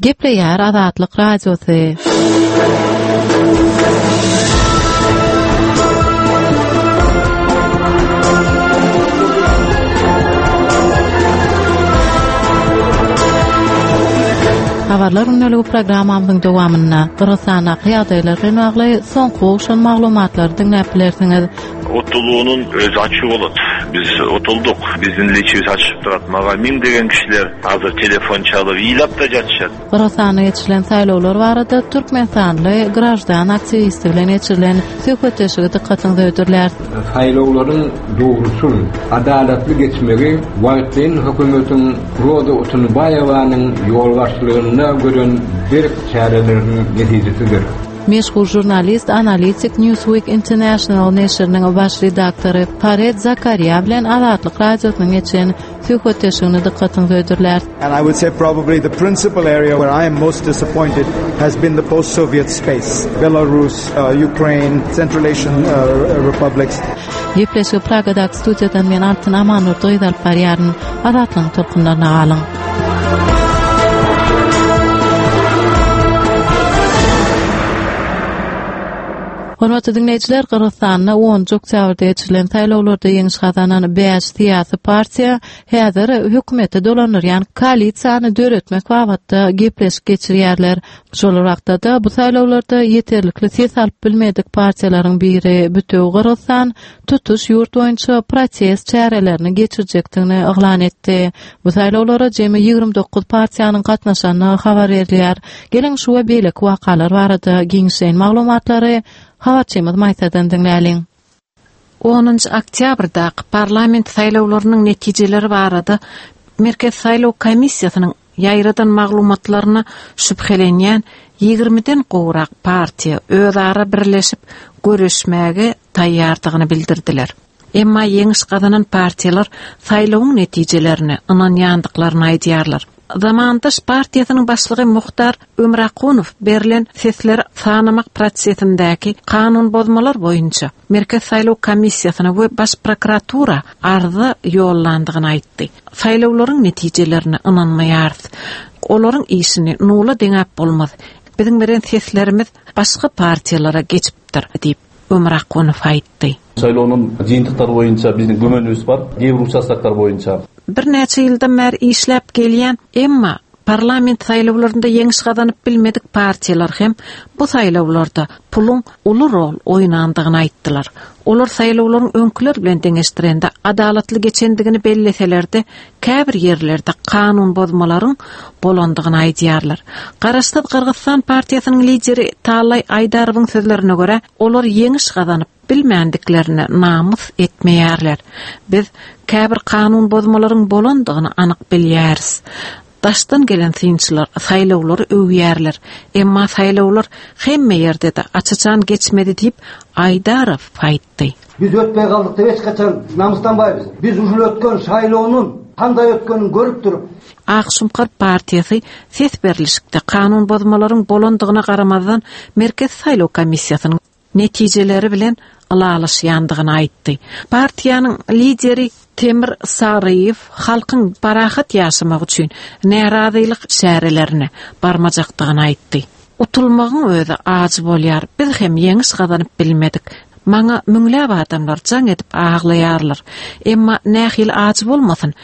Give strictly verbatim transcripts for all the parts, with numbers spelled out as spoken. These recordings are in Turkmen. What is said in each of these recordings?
Gepleýär Azatlyk Radiosy. Habarlar gündeligi programmamyzyň dowamynda Gyrgyzystandaky ýagdaýlar bilen bagly soňky gowşan maglumatlary diňläp bilersiňiz. Utulуунун өзү ачуу болот. Биз утулдук. Биздин эле ичибиз ачышып турат. Мага миңдеген кишилер азыр телефон чалып ыйлап да жатышат. Gyrgyzystanda geçirilen saýlawlar barada Türkmenistanly graždan aktiwisti bilen geçirilen söhbetdeşligi dykgatyňyza hödürlär. Saýlawlaryň dogruçyl, adalatly geçmegi wagtlaýyn hökümetiň Roza Otunbaýewanyň ýolbaşçylygynda gören berk çäreleriniň netijesidir. Meşhur žurnalist, analitik Newsweek International neşiriniň baş redaktory Farid Zakaria bilen Azatlyk Radiosynyň geçen söhbetdeşligini dykgatyňyza hödürlär. And I would say probably the principal area where I am most disappointed has been the post-Soviet space. Belarus, uh, Ukraine, Central Asian uh, republics. Gepleşigi Pragadaky studiýadan men Altyn Amanurdy alyp barýaryn. Azatlygyň tolkunlaryna galyň. Hormatly dinleýjiler, Gyrgyzystanda onunjy oktýabrda geçirilen saýlawlarda ýeňiş gazanan bäş syýasy partiýa häzir hökümeti dolandyrýan koalisiýany döretmek babatda gepleşik geçirýärler. Şol wagtda bu saýlawlarda ýeterlikli ses alyp bilmedik partiýalaryň biri Bütewi Gyrgyzystan tutuş ýurt boýunça protest çärelerini geçirjekdigini yglan etdi. Bu saýlawlara jemi ýigrimi dokuz partiýanyň gatnaşandygy habar berilýär. Geliň şu we beýleki wakalar barada giňişleýin maglumatlary habarçymyz Maýsadan diňläliň. Onunjy oktýabrdaky parlament saýlawlarynyň netijeleri barada Merkez Saýlaw Komissiýasynyň ýaýradan maglumatlaryna şübhelenýän ýigrimiden gowrak partiýa özara birleşip görüşmäge taýýardygyny bildirdiler. Emma ýeňiş gazanan partiýalar saýlawyň netijelerine ynanýandyklaryny aýdýarlar. Zamandaş partiýasynyň başlygy Muhtar Ömrakunow berlen sesleri sanamak prosesindäki kanun bozmalar boýunça Merkez Saýlaw Komissiýasyna we Baş prokuratura arza ýollandygyny aýtdy. Saýlawlaryň netijelerine ynanmaýarys. Olaryň işini nula deňäp bolmaz. Biziň beren seslerimiz başga partiýalara geçipdir diýip Ömrakunow aýtdy. Saýlawynyň жыйынтыктары боюнча биздин күмөнүбүз бар, кээ бир участоктор боюнча. Бир näçe ýyldan bäri işläp gelýän, emma parlament saýlawlarynda ýeňiş gazanyp bilmedik partiýalar hem bu saýlawlarda puluň uly rol oýnandygyny aýtdylar. Olar saýlawlaryň öňküler bilen deňeşdirende adalatly geçendigini belleselerde, käbir ýerlerde kanun bozmalaryň bolandygyny aýdýarlar. Garaşsyz Gyrgyzystan partiýasynyň lideri Talay Aýdarowyň sözlerine görä, olar ýeňiş gazanyp bilmändiklerine namys etmeýärler. Biz käbir kanun bozmalaryň bolandygyny anyk bilýäris. Daşdan gelen synçylar saýlawlary öwýärler. Emma saýlawlar hemme ýerde-de açaçan geçmedi diýip Aýdarow aýtdy. Биз өтпөй калдык деп эч качан намыстанбайбыз. Биз ушул өткөн шайлоонун кандай өткөнүн көрүп туруп Ak Şumkar partiýasy ses berilişikde kanun bozmalaryň bolandygyna garamazdan Merkez Saýlaw Komissiýasynyň netijeleri bilen ylalaşýandygyny aýtdy. Partiýanyň lideri Temir Saryýew halkyň parahat ýaşamagy üçin närazylyk çärelerine barmajakdygyny aýtdy. Utulmagyň özi ajy bolýar. Biz hem ýeňiş gazanyp bilmedik. Maňa müňläp adamlar jaň edip aglaýarlar. Emma nähili ajy bolmasyn,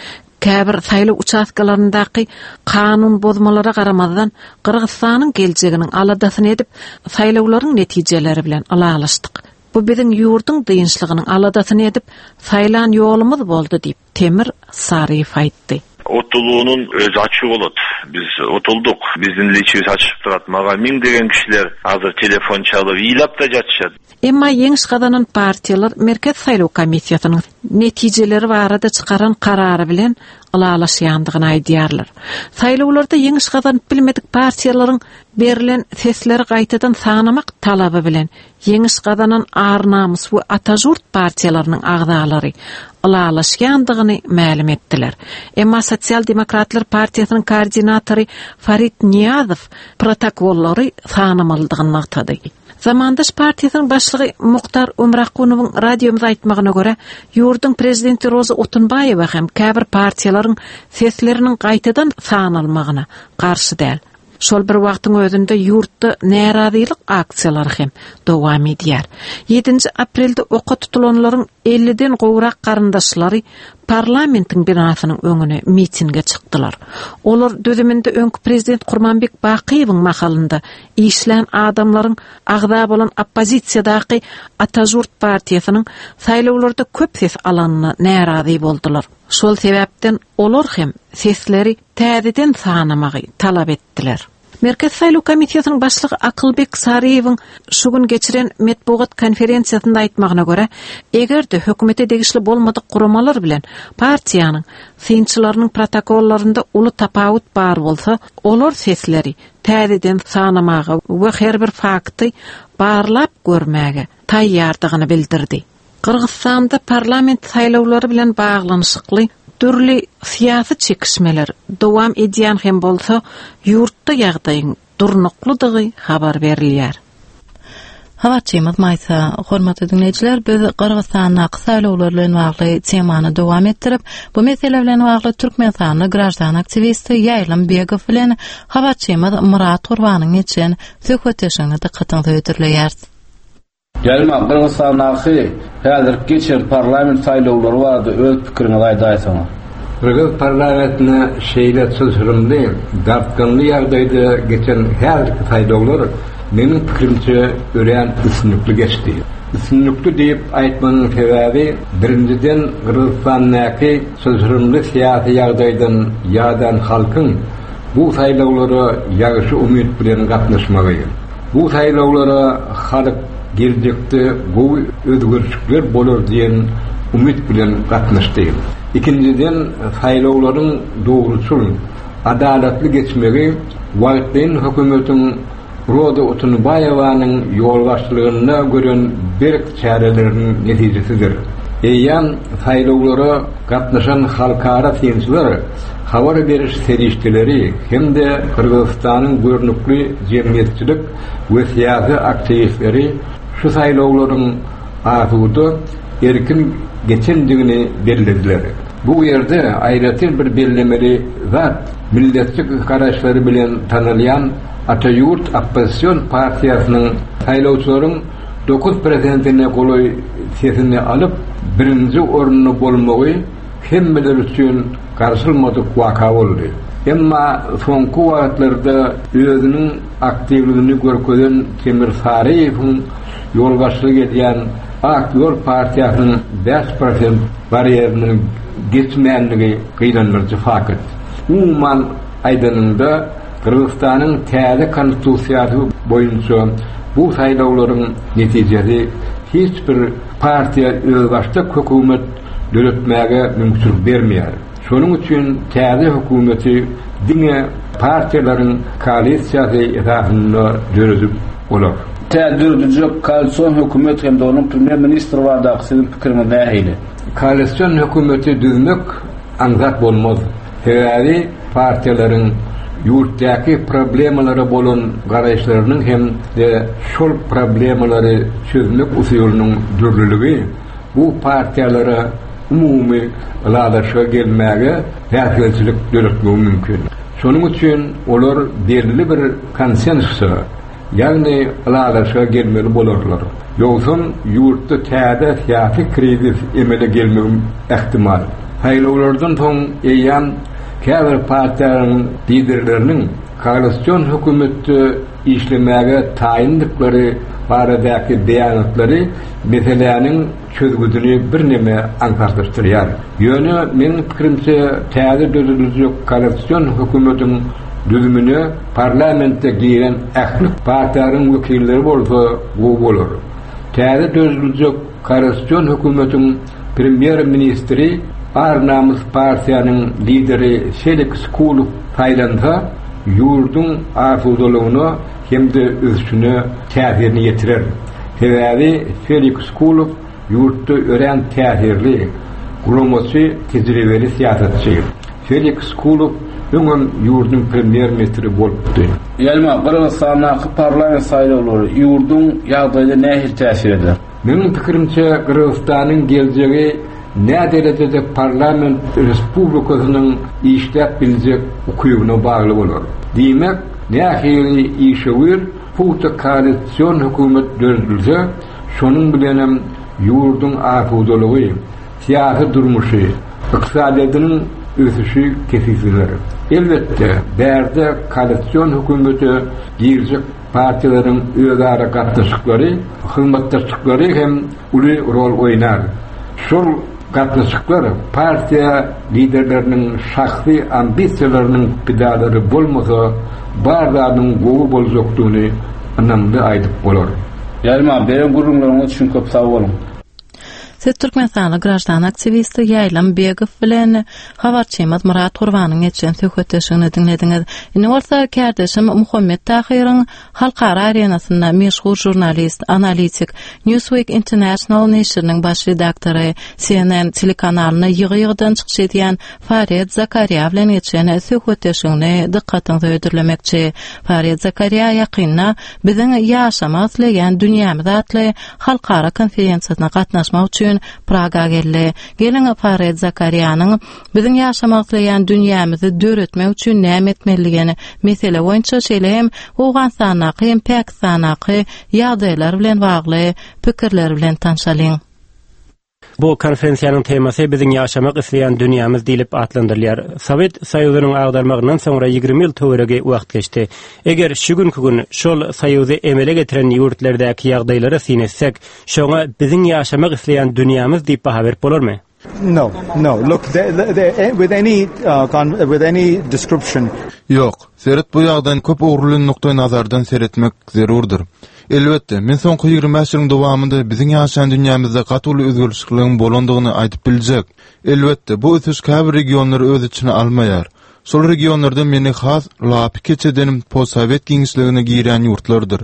käbir saýlaw uçastkalaryndaky kanun bozmalara garamazdan Gyrgyzystanyň geljeginiň aladasyny edip saýlawlaryň netijeleri bilen ylalaşdyk. Bu biziň ýurduň dynçlygynyň aladasyny edip saýlan ýolumyz boldy diýip Temir Saryýew aýtdy. Utulуунун өзү ачуу болот. Биз утулдук. Биздин эле ичибиз ачышып турат. Мага миңдеген кишилер азыр телефон чалып ыйлап да жатышат. Emma ýeňiş gazanan partiýalar Merkez Saýlaw Komissiýasynyň netijeleri barada çykaran karary bilen ylalaşýandygyny aýdýarlar. Saýlawlarda ýeňiş gazanyp bilmedik partiýalaryň berlen sesleri gaýtadan sanamak talaby bilen ýeňiş gazanan Ar-Namys we Atajurt partiýalarynyň agzalary ylalaşýandygyny mälim etdiler. Emma Sosial Demokratlar Partiýasynyň koordinatory Farid Niýazow protokollary sanamalydygyny nygtady. Zamandaş partiýasynyň başlygy Muhtar Ömrakunowyň radiomyza aýtmagyna görä, ýurduň prezidenti Roza Otunbaýewa hem käbir partiýalaryň sesleriniň gaýtadan sanalmagyna garşy däl. Şol bir wagtyň özünde ýurtda närazylyk aksiýalary hem dowam edýär. ýedinji aprelde oka tutulanlaryň elliden gowrak garyndaşlary parlamentiň binasynyň öňüne mitinge çykdylar. Olar düzüminde öňki prezident Kurmanbek Bakyýewiň mahalynda işlän adamlaryň agza bolan oppozisiýadaky Atajurt partiýasynyň saýlawlarda köp ses alanyna närazy boldular. Şol sebäpden olar hem sesleri täzeden sanamagy talap etdiler. Merkez Saýlaw Komissiýasynyň başlygy Akylbek Saryýewiň şu gün geçiren metbugat konferensiýasynda aýtmagyna görä, eger-de hökümete degişli bolmadyk guramalar bilen partiýanyň synçylarynyň protokollarynda uly tapawut bar bolsa, olar sesleri täzeden sanamaga we her bir fakty barlap görmäge taýýardygyny bildirdi. Gyrgyzystanda parlament saýlawlary bilen baglanyşykly dürli syýasy çekişmeler dowam edýän hem bolsa, ýurtda ýagdaýyň durnuklydygy habar berilýär. Habarçymyz Maýsa, hormatly dinleýjiler, biz Gyrgyzystandaky saýlawlar bilen bagly temany dowam etdirip, bu mesele bilen bagly Türkmenistanly graždan aktiwisti Ýaýlym Begow bilen habarçymyz Murat Gurbanyň geçen söhbetdeşligini dykgatyňyza hödürleýäris. Ýaýlym, Gyrgyzystandaky häzir geçen parlament saýlawlary barada öz pikiriňizi aýdaýsaňyz. Gyrgyz parlamentine şeýle çylşyrymly, dartgynly ýagdaýda geçen häzirki saýlawlar meniň pikirimçe örän üstünlikli geçdi. Üstünlikli diýip aýtmanyň sebäbi birinjiden Gyrgyzystandaky çylşyrymly syýasy ýagdaýdan ýadan halkyň bu saýlawlara ýagşy umyt bilen gatnaşmagy. Bu saýlawlara halk geljekde gowy özgerişlikler bolar diýen umyt bilen gatnaşdy. Ikinjiden saýlawlaryň dogruçyl, adalatly geçmegi wagtlaýyn hökümetiň Roza Otunbaýewanyň ýolbaşçylygynda gören berk çäreleriniň netijesidir. Eýýäm saýlawlara gatnaşan halkara synçylar habar beriş serişdeleri hem-de Gyrgyzystanyň görnükli jemgyýetçilik we syýasy aktiwistleri şu saýlawlaryň asuda erkin geçendigini bellediler. Bu ýerde aýratyn bir bellemeli zat milletçi garaşlary bilen tanalýan Atajurt oppozision partiýasynyň saýlawçylaryň dokuz prosentine golaý sesini alyp birinji orunda bolmagy hemmeler üçin garşylmadyk waka boldy. Emma soňky wagtlarda özüniň aktiwligini görkezen Temir Saryýewiň ýolbaşçylyk edýän Ak Ýol partiýasynyň bäş prosent barýeriniň geçmänligi gynandyryjy fakt. Umuman aýdanynda Gyrgyzystanyň täze konstitusiýasy boýunça bu saýlawlaryň netijesi hiç bir partiýa özbaşdak hökümet döretmäge mümkinçilik bermeýär. Şonuň üçin täze hökümeti diňe partiýalaryň koalisiýasy esasynda döredip bolar. Täze dörediljek koalision hökümet hem-de onuň premýer ministri baradaky siziň pikiriňiz nähili? Koalision hökümeti düzmek aňsat bolmaz. Sebäbi partiýalaryň ýurtdaky problemalara bolan garaýyşlarynyň hem de şol problemalary çözmek usulynyň dürlüligi bu partiýalara umumy ylalaşyga gelmäge päsgelçilik döretmegi mümkin. Şonuň üçin olar belli bir konsensusa, ýagny ylalaşyga gelmeli bolarlar. Ýogsam ýurtda täze syýasy krizis emele gelmegi ähtimal. Saýlawlardan soň eýýäm käbir partiýalaryň liderleriniň koalision hökümetde işlemäge taýyndyklary baradaky beýanatlary meseläniň çözgüdini birneme aňsatlaşdyrýar. Ýöne meniň pikirimçe täze dörediljek koalision hökümetiň düzümine parlamentde giren ähli partiýalaryň wekilleri bolsa gowy bolar. Täze dörediljek koalision hökümetiň premýer-ministri Ar-Namys partiýanyň lideri Feliks Kulow saýlansa, ýurduň asudalygyna hem-de ösüşine täsirini ýetirer. Sebäbi Feliks Kulow ýurtda örän täsirli, guramaçy, tejribeli syýasatçy. Feliks Kulow öňem ýurduň premýer-ministri bolupdy. Ýaýlym, Gyrgyzystandaky parlament saýlawlary ýurduň ýagdaýyna nähili täsir eder? Meniň pikirimçe Gyrgyzystanyň geljegi nä derejede parlament respublikasynyň işläp biljek ukybyna bagly bolar. Diýmek, Nähili işewür pugta koalisyon hökümet döredilse, şonuň bilenem ýurduň asudalygy, syýasy durmuşy, ykdysadyýetiniň ösüşi kesgitlenir. Elbetde, bärde koalisyon hökümete girjek partiýalaryň özara gatnaşyklary, hyzmatdaşlyklary hem uly rol oýnar. Şol gatnaşyklar partiýa liderleriniň şahsy ambisiýalarynyň pidalary bolmasa, bar zadyň gowy boljakdygyny ynamly aýdyp bolar. Ýaýlym, beren gürrüňleriňiz üçin köp sag boluň. Siz Türkmenistanly graždan aktiwisti Ýaýlym Begow bilen habarçymyz Murat Gurbanyň geçen söhbetdeşligini diňlediňiz. Indi bolsa kärdeşim Muhammet Tahyryň halkara arenasynda meşhur žurnalist, analitik, Newsweek International neşiriniň baş redaktory, C N N telekanalynda ýygy-ýygydan çykyş edýän Farid Zakariýa bilen geçen söhbetdeşligini dykgatyňyza hödürlemekçi. Farid Zakariýa ýakynda biziň ýaşamak isleýän dünýämiz atly halkara konferensiýasyna gatnaşmak üçin Praga geldi. Geliň Farid Zakariýanyň biziň ýaşamak isleýän dünýämizi döretmek üçin näme etmelidigini mesele boýunça şeýle hem Owganystandaky hem Pakistandaky ýagdaýlar bilen bagly pikirler bilen tanşalyň. Bu konferensiýanyň temasy biziň ýaşamak isleýän dünýämiz diýlip atlandyrylýar. Sowet Soýuzynyň agdarmagyndan soňra ýigrimi ýyl töweregi wagt geçdi. Eger şu günki gün şol Soýuzy emele getiren ýurtlardaky ýagdaýlara syn etsek, şoňa biziň ýaşamak isleýän dünýämiz diýip baha berip bolarmy? No, no. Look, they, they, with any uh, con, with any description. Ýok, seret bu ýagdaýyny köp ugurly nukdaý nazardan seretmek zerurdyr. Elbetde, men soňky ýigrimi bäş ýylyň dowamynda biziň ýaşaýan dünýämizde gaty uly özgerişligiň bolandygyny aýdyp biljek. Elbetde, bu ösüş käbir regionlary öz içine almaýar. Şol regionlarda meni has lapykeç eden postsowet giňişligine girýän ýurtlardyr.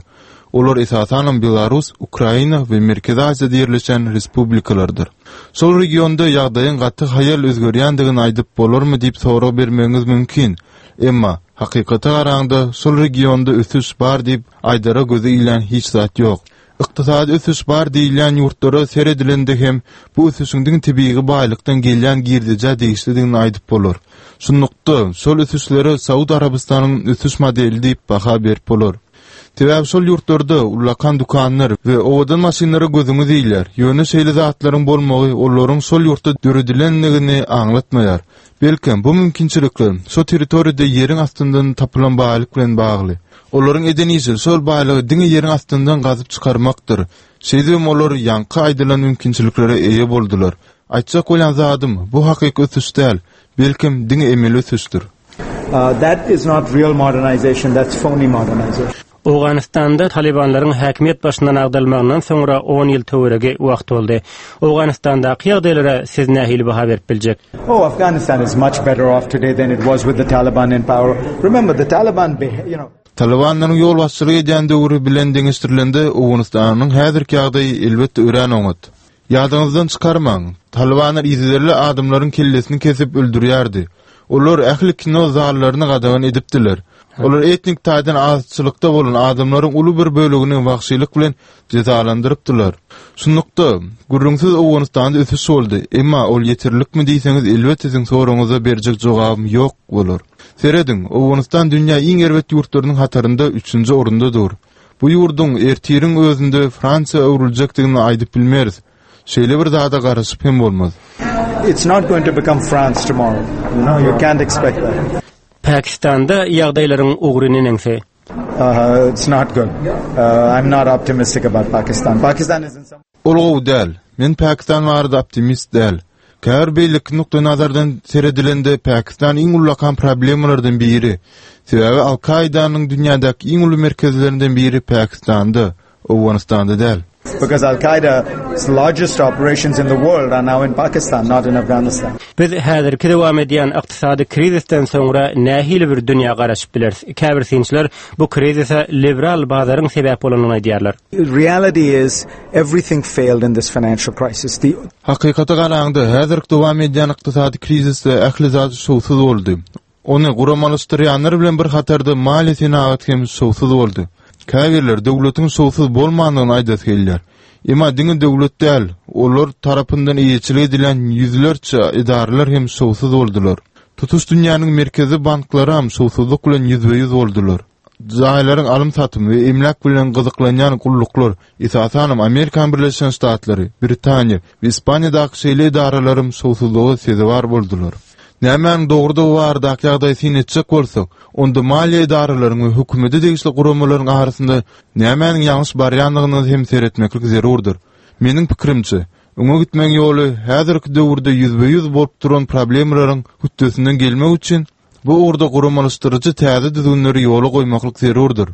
Olar esasanam Belarus, Ukraina we Merkezi Aziýada ýerleşen respublikalardyr. Şol regionda ýagdaýyň gaty haýal özgerýändigini aýdyp bolarmy diýip sorag bermegiňiz mümkin. Emma hakykata garaňda şol regionda ösüş bar diýip aýdara gözi ilýän hiç zat ýok. Ykdysady ösüş bar diýilýän ýurtlara seredilende hem bu ösüşiň diňe tebigy baýlykdan gelýän girdejä degişlidigini aýdyp bolar. Şunlukda şol ösüşlere Saud Arabystanyň ösüş modeli diýip baha berip bolar. Sebäbi şol ýurtlarda ullakan dükanlar we owadan maşynlara gözüňiz ilýär. Ýöne şeýle zatlaryň bolmagy olaryň şol ýurtda döredilendigini aňlatmaýar. Belkem bu mümkinçilikler şo territoriýada ýeriň astyndan tapylan baýlyk bilen bagly. Olaryň eden işi şol baýlygy diňe ýeriň astyndan gazyp çykarmakdyr. Şeýdibem olar ýaňky aýdylan mümkinçiliklere eýe boldular. Aýtjak bolýan zadym bu hakyky ösüş däl, belkem diňe emeli ösüşdir. Uh, that is not real modernization, that's phony modernization. Owganystanda Talibanlaryň häkimiýet başyndan agdarylmagyndan soňra on ýyl töweregi wagt boldy. Owganystandaky ýagdaýlara siz nähili baha berip biljek? Oh, Afghanistan is much better off today than it was with the Taliban in power. Remember, the Taliban, you know, Talibanlaryň ýolbaşçylyk edýän döwri bilen deňeşdirilende Owganystanyň häzirki ýagdaýy elbetde örän oňat. Ýadyňyzdan çykarmaň, Talibanlar yzygiderli adamlaryň kellesini kesip öldürýärdi. Olar ähli kino zallaryny gadagan edipdiler. Olar etnik taýdan azçylykda bolan adamlaryň uly bir bölegini wagşylyk bilen jezalandyrypdylar. Şunlukda gürrüňsiz Owganystanda ösüş boldy. Emma ol ýeterlikmi diýseňiz, elbetde siziň soragyňyza berjek jogabym ýok bolar. Serediň, Owganystan dünýä iň erbet ýurtlarynyň hatarynda üçünji orunda dur. Bu ýurduň ertiriň özünde Fransiýa öwrüljekdigini aýdyp bilmeris. Şeýle bir zada garaşyp hem bolmaz. It's not going to become France tomorrow. You know, you can't expect that. Pakistanda ýagdaýlaryň ugry neneňsi? Uh, it's not good. Uh, I'm not optimistic about Pakistan. Pakistan is in some Ol gowy däl. Men Pakistan barada optimist däl. Käbir beýleki nukdaý nazardan seredilende Pakistan iň ullakan problemalardan biri. Sebäbi Al-Kaidanyň dünýädäki iň uly merkezlerinden biri Pakistanda, Owganystanda däl. Because Al-Qaeda's largest operations in the world are now in Pakistan, not in Afghanistan. Biz häzirki dowam edýän ykdysady krizisden soňra nähili bir dünýä garaşyp bileris? Käbir synçylar bu krizise liberal bazaryň sebäp bolanyny aýdýarlar. Reality is everything failed in this financial crisis. The Hakykata garaňda häzirki dowam edýän ykdysady krizisde ähli zat şowsuz boldy. Ony guramalaşdyrýanlar bilen bir hatarda maliýe senagaty hem şowsuz boldy. Käbirler döwletiň şowsuz bolmandygyny aýdasy gelýär. Emma diňe döwlet däl, olar tarapyndan eýeçilik edilen ýüzlerçe edaralar hem şowsuz boldular. Tutuş dünýäniň merkezi banklary hem şowsuzlyk bilen ýüzbe-ýüz boldular. Jaýlaryň alym satymy we emläk bilen gyzyklanýan gulluklar, esasanam Amerikan Birleşen Ştatlary, Britaniýa we Ispaniýadaky şeýle edaralaryň şowsuzlyga sezewar boldular. Nämäniň dogrudygy baradaky ýagdaýy syn etjek bolsak, onda maliýe edaralaryň we hökümete degişli guramalaryň arasynda nämäniň ýalňyş barýandygyny hem seretmeklik zerurdyr. Meniň pikirimçe, öňe gitmegiň ýoly häzirki döwürde ýüzbe-ýüz bolup duran problemalaryň hötdesinden gelmek üçin bu ugurda guramalaşdyryjy täze düzgünleri ýola goýmaklyk zerurdyr.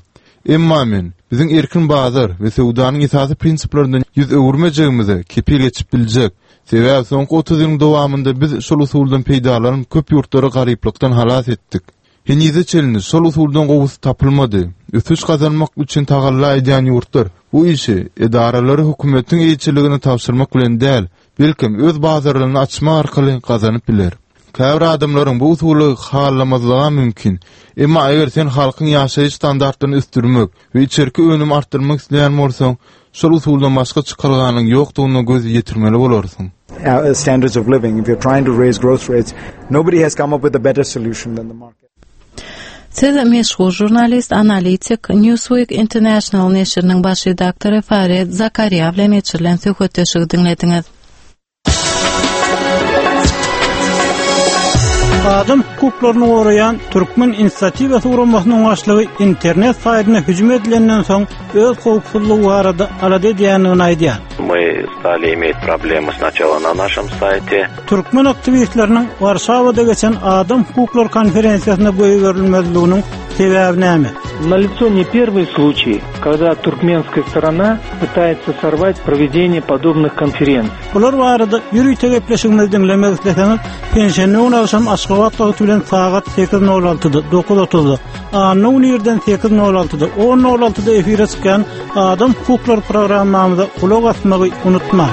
Emma men biziň erkin bazar we söwdanyň esasy prinsiplerinden ýüz öwürmejegimize kepil geçip biljek. Sebäbi soňky otuz ýylyň dowamynda biz şol usuldan peýdalanyp köp ýurtlary garyplykdan halas etdik. Henize çenli şol usuldan gowusy tapylmady. Ösüş gazanmak üçin tagalla edýän ýurtlar bu işi edaralary hökümetiň eýeçiligine tabşyrmak bilen däl, belki öz bazarlaryny açmak arkaly gazanyp biler. Käbir adamlaryň bu usuly halamazlygy mümkin. Emma eger sen halkyň ýaşaýyş standartlaryny ösdürmek we içerki önümi artdyrmak isleýän bolsaň, şol usuldan başga çykalganyň ýokdugyna göz ýetirmeli bolarsyň. Uh, standards of living, if you're trying to raise growth rates, nobody has come up with a better solution than the market. Siz meşhur žurnalist, analitik, Newsweek International neşiriniň baş redaktory Farid Zakaria bilen geçirilen söhbetdeşligi diňlediňiz. Adam hukuklaryny goraýan Türkmen inisiatiwasy guramasynyň başlygy internet saýtyna hüjüm edilenden soň öz howpsuzlygy barada alada edýändigini aýdýar. Мы стали иметь проблемы сначала на нашем сайте. Türkmen aktiwistleriniň Warşawada geçen adam hukuklary konferensiýasyna goýberilmezliginiň sebäbi näme? Налицо не первый случай, когда туркменская сторона пытается сорвать проведение подобных конференций. Bular barada ýörite gepleşigimizi diňlemek isleseňiz, penşenbe güni agşam Aşgabat wagty bilen sagat sekiz nol altyda, dokuz otuzda, anna güni irden sekiz nol altyda, on nol altyda efire çykýan Adam hukuklary programmamyza gulak asmagy unutmaň.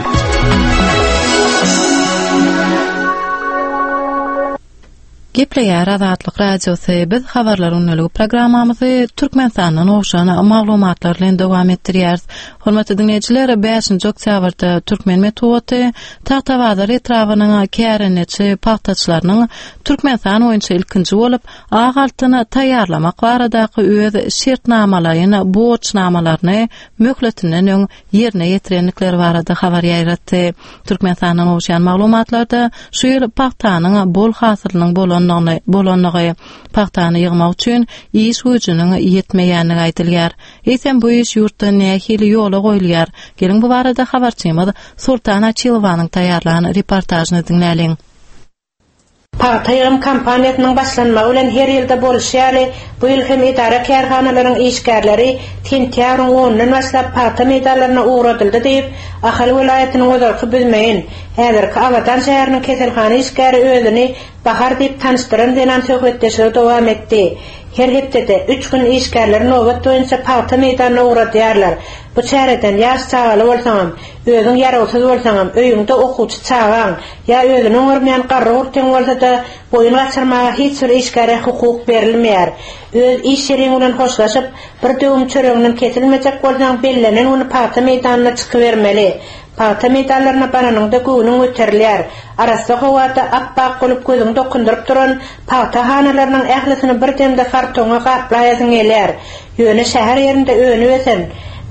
Gepleýär Azatlyk Radiosy. Biz habarlar günlügi programmamyzy Türkmenistandan gowşan maglumatlar bilen dowam etdirýäris. Hormatly dinleýjiler, bäşinji oktýabrda Türkmen metbugaty Tagtabazar etrabynyň kärendeçi pagtaçylarynyň Türkmenistan boýunça ilkinji bolup ak altyny taýýarlamak baradaky öz şertnamalaryny, borçnamalaryny möhletinden öň ýerine ýetirendikleri barada habar ýaýratdy. Türkmenistandan gowşan maglumatlarda şu ýyl pagtanyň bol hasylynyň bolanlygyny, bolanlygy, pagtany ýygmak üçin iş güýjüniň ýetmeýänligi aýdylýar. Eýsem bu iş ýurtda nähili ýola goýulýar? Geliň bu barada habarçymyz Sultan Açilowanyň taýýarlan reportažyny diňläliň. Pagta ýygym kampaniýasynyň başlanmagy bilen her ýylda boluşy ýaly, bu ýyl hem edara kärhanalaryň işgärleri sentýabryň onundan başlap pagta meýdanlaryna ugradyldy diýip, Ahal welaýatynyň ozalky Büzmeýin, häzirki Abadan şäheriniň keselhana işgäri özüni Bahar diýip tanyşdyran zenan söhbetdeşligi dowam etdi. Her hepdede üç gün işgärleri nobat boýunça pagta meýdanyna ugradýarlar. Bu çäreden ýaş çagaly bolsaňam, özüň ýarawsyz bolsaňam, öýüňde okuwçy çagaň ýa özüni oňarmaýan garry gurtyň bolsa-da boýun gaçyrmaga hiç bir işgäre hukuk berilmeýär. Öz iş ýeriň bilen hoşlaşyp, bir döwüm çöreginden kesilmejek bolsaň, bellenen güni pagta meýdanyna çykybermeli. Pagta meýdanlaryna baranyňda göwnüň göterilýär. Arassa howada appak bolup gözüňi dokundyryp duran pagta hanalarynyň ählisini bir demde kartona gaplaýasyň gelýär. Ýöne şäher ýerinde önüp ösen,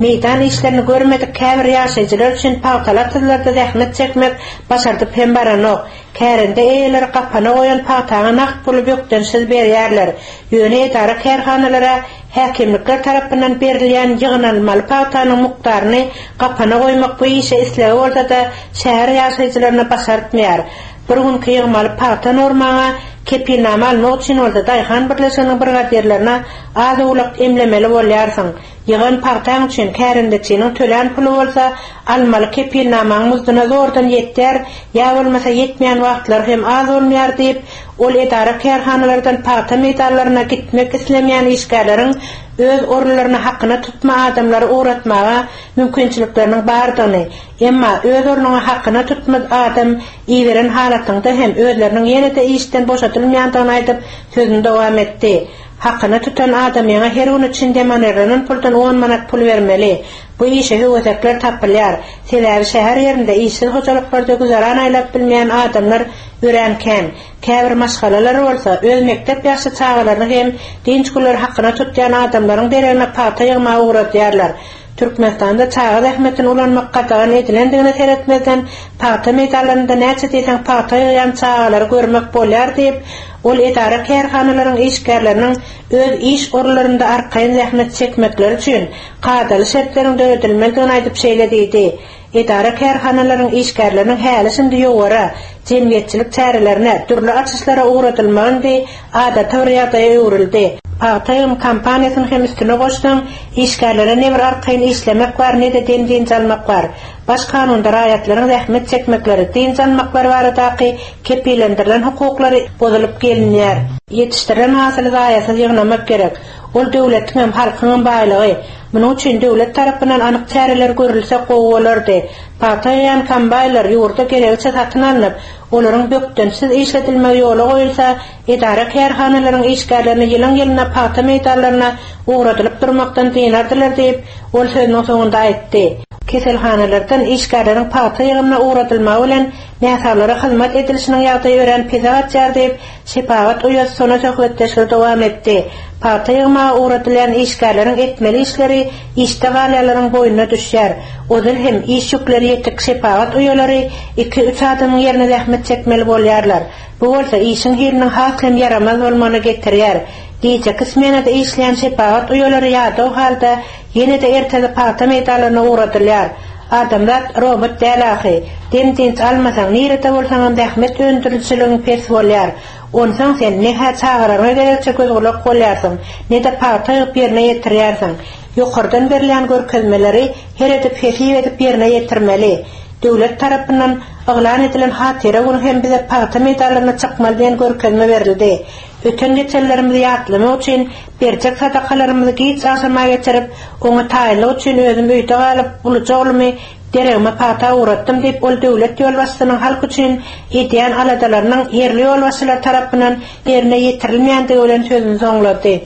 meýdan işlerini görmedik käbir ýaşaýjylar üçin pagtalar tyzlarda zähmet çekmek başardyp hem baranok. Kärende eýeleri gapana goýan pagtaňa nagt puly bökdençsiz berýärler. Ýöne edara kärhanalara häkimlikler tarapyndan berilýän ýygnalmaly pagtanyň mukdaryny gapana goýmak bu işe islegi bolsa-da şäher ýaşaýjylaryna başartmaýar. Bir günki ýygmaly pagta normaňa kepilnama almak üçin bolsa Daýhan birleşiginiň brigadirlerine az owlak emlemeli bolýarsyň. Ýygan pagtaň üçin kärendeçiniň tölän puly bolsa almaly kepilnamaň muzduna zordan ýetýär, ýa bolmasa ýetmeýän wagtlar hem az bolmaýar diýip, ol edara kärhanalardan pagta meýdanlaryna gitmek islemeýän işgärleriň öz orunlaryna hakyna tutma adamlary ugratmaga mümkinçilikleriniň bardygyny, emma öz ornuňa hakyna tutma adam iberen halatynda hem özleriniň ýene-de işden boşadylmaýandygyny aýdyp sözüni dowam etdi. Hakyna tutan adamyňa her gün üçin demonerlenen puldan on manat pul bermeli. Bu işe höwesekler tapylýar. Sebäbi şäher ýerinde işsiz hojalyklarda güzeran aýlap bilmeýän adamlar örän kän. Käbir maşgalalar bolsa öz mekdep ýaşly çagalaryny hem dynç günleri hakyna tutýan adamlaryň deregine pagta ýygmaga ugradýarlar. Türkmenistanda çaga zähmetini ulanmak gadagan edilendigine seretmezden pagta meýdanlarynda näçe diýseň pagta ýygýan çagalary görmek bolýar diýip, ol edara kärhanalaryň işgärleriniň öz iş orunlarynda arkaýyn zähmet çekmekleri üçin kadaly şertleriň döredilmelidigini aýdyp şeýle diýdi. Edara kärhanalaryň işgärleriniň häli şindi ýowara, jemgyýetçilik çärelerine, dürli açyşlara ugradylmagy adaty bir ýagdaýa öwrüldi. Pagta ýygym kampaniýasyny hem üstüne goşsaň, işgärlere ne bir arkaýyn işlemek bar, ne-de dem dynç almak bar. Baş kanunda raýatlaryň zähmet çekmekleri, dynç almaklary baradaky kepillendirilen hukuklary bozulyp gelinýär. Ýetişdirilen hasyly zaýasyz ýygnamak gerek. Ol döwletiň hem halkyň baýlygy. Munuň üçin döwlet tarapyndan anyk çäreler görülse gowy bolardy. Pagta ýygýan kombaýnlar ýurda geregiçe satyn alnyp, olaryň bökdençsiz işledilmegi ýola goýulsa, edara kärhanalaryň işgärlerini ýylyň-ýylyna pagta meýdanlaryna ugradylyp durmakdan dynardylar diýip, ol sözüniň soňunda aýtdy. Keselhanalardan işgärleriň pagta ýygymyna ugradylmagy bilen näsaglara hyzmat edilişiniň ýagdaýy örän pese gaçýar diýip, Şepagat uýasy sona söhbetdeşligi dowam etdi. Pagta ýygmaga ugradylýan işgärleriň etmeli işleri işde galýanlaryň boýnuna düşýär. Ozal hem iş ýükleri ýetik şepagat uýalary iki-üç adamyň ýerine zähmet çekmeli bolýarlar. Bu bolsa işiň hiliniň has hem ýaramaz bolmagyna getirýär. Gijeki smenada işleýän şepagat uýalary ýadaw halda ýene-de ertesi pagta meýdanlaryna ugradylýar. Adamzat robot däl ahy. Dem dynç almasaň, nirede bolsaňam zähmet öndürijiligin pes bolýar. Onsoň sen ne-hä çagalaryňa gerekçe göz gulak bolýarsyň, ne-de pagta ýygyp ýerine ýetirýärsiň. Ýokardan berilýän görkezmeleri her edip hesip edip ýerine ýetirmeli. Döwlet tarapyndan yglan edilen hatyra güni hem bize pagta meýdanlaryna çykmaly diýen görkezme berildi. Öten geçenlerimizi ýatlamak üçin berjek sadakalarymyzy giç agşama geçirip, oňa taýynlyk üçin özüm öýde galyp, uluja oglumy deregime pagta ugratdym diýip, ol döwlet ýolbaşçysynyň halk üçin edýän aladalarynyň ýerli ýolbaşçylar tarapyndan ýerine ýetirilmeýändigi bilen sözüni soňlady.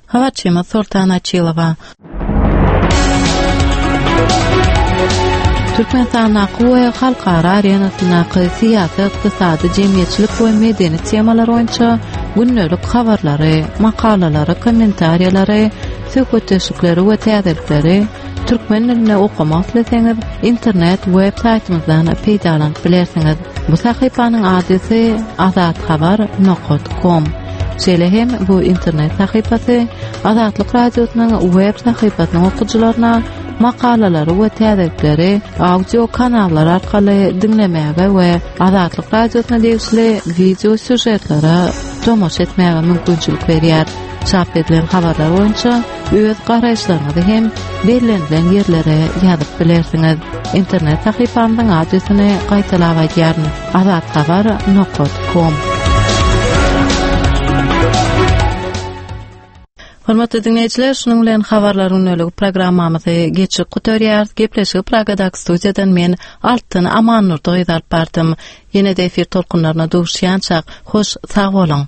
Habarçymyz Sultan Açylowa. Türkmenistandaky we halkara arenasyndaky syýasy, ykdysady, jemgyýetçilik we medeni temalar boýunça gündelik habarlary, makalalary, kommentariýalary, söhbetdeşlikleri we täzelikleri türkmen dilinde okamak isleseňiz, internet web saýtymyzdan peýdalanyp bilersiňiz. Bu sahypanyň adresi azathabar nokta com. Şeýle hem bu internet sahypasy Azatlyk Radiosynyň web sahypasynyň okyjylaryna makalalary we täzelikleri audio kanallar arkaly diňlemäge we Azatlyk Radiosyna degişli wideo sýužetlere tomaşa etmäge mümkinçilik berýär. Çap edilen habarlar boýunça öz garaýyşlaryňyzy hem bellenilen ýerlere ýazyp bilersiňiz. Internet sahypamyzyň adresini gaýtalap aýdýaryn: azathabar nokta com. Hormatly dinleýjiler, şunuň bilen habarlar günlük programmamyzy geçip gutarýarys. Gepleşigi Pragadaky studiýadan men Altyn Amannurdy gyz alyp bardym. Ýene-de efir tolkunlaryna duşýançak, hoş sag boluň.